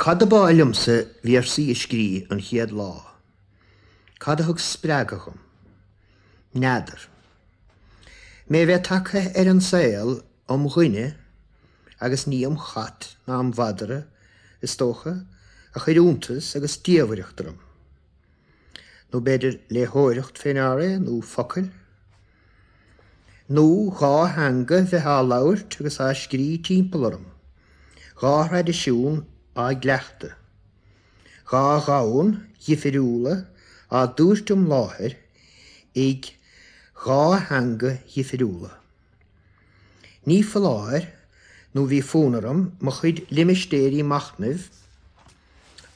Cad ab áil liomsa véarsaí a scrí an chéad lá? Cad a thug spreagadh dhom? N'fheadar. Mé bheith tagtha ar an saol im dhuine, agus ní im chat ná im mhadra, is dócha, a chuir iontas agus diamhaireacht orm. Nó b'fhéidir léitheoireacht fé ndear é, nó focail. Nó dha theanga bheith á labhairt agus á scrí timpeall orm, dha thraidisiún á gcleachtadh, dha dhomhan dhifiriúla á dtabhairt im láthair ag dha theanga dhifiriúla. Ní foláir nó bhí fonn orm mo chuid limistéirí machnaimh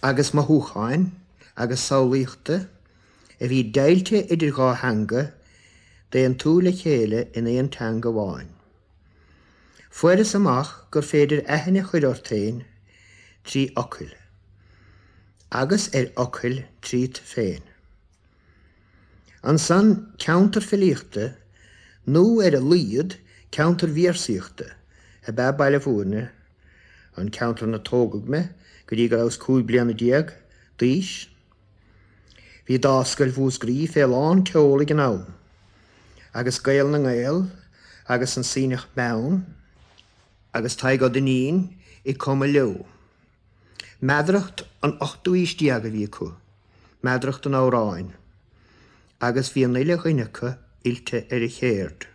agus mothúcháin agus samhlaíochta a bhí deighilte idir dhá theanga d'aontú le chéile in aon teanga amháin. Fuaireas amach gur féidir aithne a chur ort féin trí fhocail, agus ar fhocail tríot féin. Ansan ceantar filíochta, nó ar a laghad ceantar véarsaíochta, ab ea Baile Bhúirne, an ceantar ina tógadh mé go dtí go rabhas 15 bliana d'aois. Bhí Dámhscoil Mhúscraí fé lán tseoil ag an am, agus Gael na nGael agus An Sionnach Meann agus Tadhg Ó Duinnín ag cumadh leo. Meadaracht an ochtú aois déag a bhí acu, meadaracht an amhráin, agus bhí an uile dhuine acu oilte ar an chéird.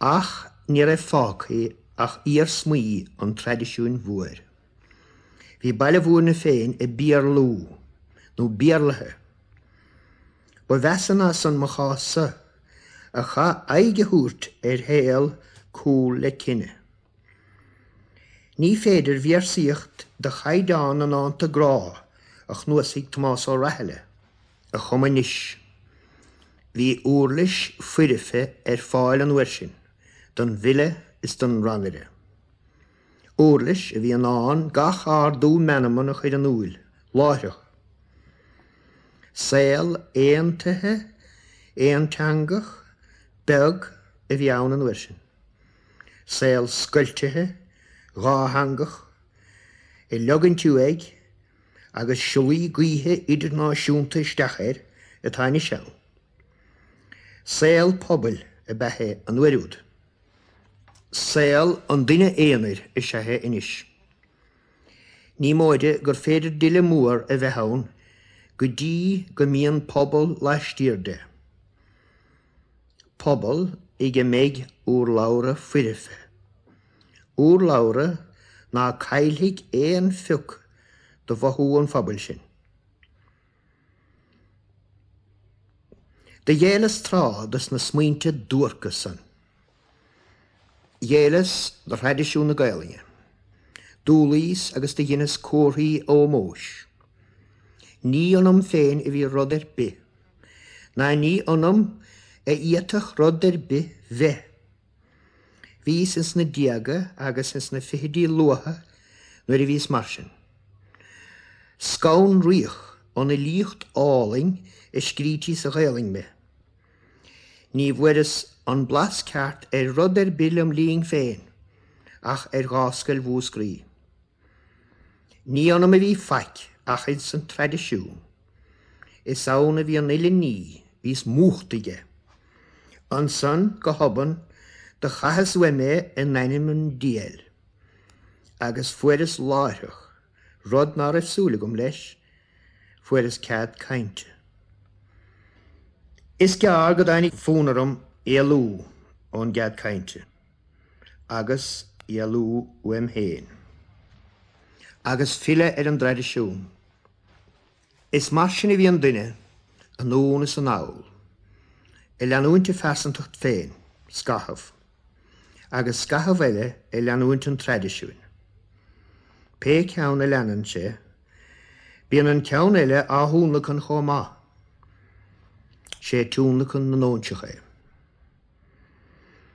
Ach ní raibh fágtha ach iarsmaí an traidisiúin mhóir. Bhí Baile Bhúirne féin ag Béarlú, nó Béarlaithe. Ba mheasa ná san mo chás-sa, a chaith aghaidh a thabhairt ar shaol cúl le tine. Ní féidir véarsaíocht de chaighdeán na ndánta grá a chnuasaigh Tomás Ó Rathile a chumadh anois. Bhí uirlis foirfe ar fáil an uair sin don bhfile is don rannaire. Uirlis a bhí in ann gach ardú meanman a chur in iúl láithreach. Saol aontaithe, aonteangach, beag a bhí ann an uair sin. Saol scoiltithe, dhátheangach, ag leogaint uaidh agus siollaí gaoithe idirnáisiúnta isteach air atá anois ann. Saol pobail ab ea é an uair úd. Saol an duine aonair is ea é anois. Ní móide gur féidir dile mór a bheith ann go dtí go mbíonn pobal laistiar de. Pobal ag a mbeidh urlabhra foirfe. Urlabhra ná caillfidh aon phioc de mhothú an phobail sin. Do ghéilleas tráth dos na smaointe duairce san. Ghéilleas do thraidisiún na Gaelainne. D'umhlaíos agus do dheineas comharthaí ómóis. Ní ionam féin a bhí rud ar bith. Ná ní ionam a fhéadfadh rud ar bith bheith. Bhíos ins na déaga agus ins na fichidí luatha nuair a bhíos mar sin. Scanraíodh ón fhilíocht álainn a scrítí sa Ghaelainn mé. Ní bhfuaireas an blas ceart ar rud ar bith lem linn féin ach ar Dhámhscoil Mhúscraí. Ní ionam a bhí faic ach ins an traidisiún. Is ann a bhí an uile ní, bhíos múchta aige. Ansan, go hobann, do chaitheas uaim é in ainm an diabhail. Agus fuaireas láithreach, rud ná raibh súil agam leis, fuaireas cead cainte. Is gearr go dtáinig fonn orm éalú ón gcead cainte. agus éalú uaim féin. Agus filleadh ar an dtraidisiún. Is mar sin a bhíonn duine, anonn is anall, ag leanúint a phearsantacht féin, scaitheamh, agus scaitheamh eile ag leanúint an traidisiúin. Pé ceann a leanann sé, bíonn an ceann eile á thionlacan chomh maith. Sé tionlacan na n-óinseach é.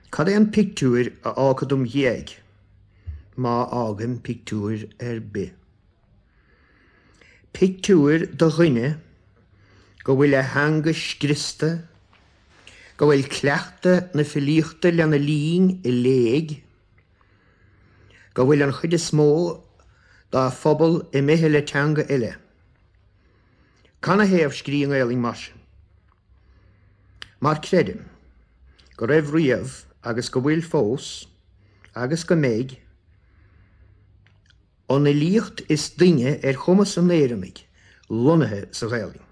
Cad é an pictiúir a fhágfad im dhiaidh, má fhágaim pictiúir ar bith? Pictiúir de dhuine go bhfuil a theanga scriosta, go bhfuil cleachtadh na filíochta lena linn i léig, go bhfuil an chuid is mó dá phobal imithe le teanga eile. Canathaobh scrí i nGaelainn mar sin? Mar creidim go raibh riamh agus go bhfuil fós, agus go mbeidh, an fhilíocht is doimhne ar chumas an Éireannaigh lonnaithe sa Ghaelainn.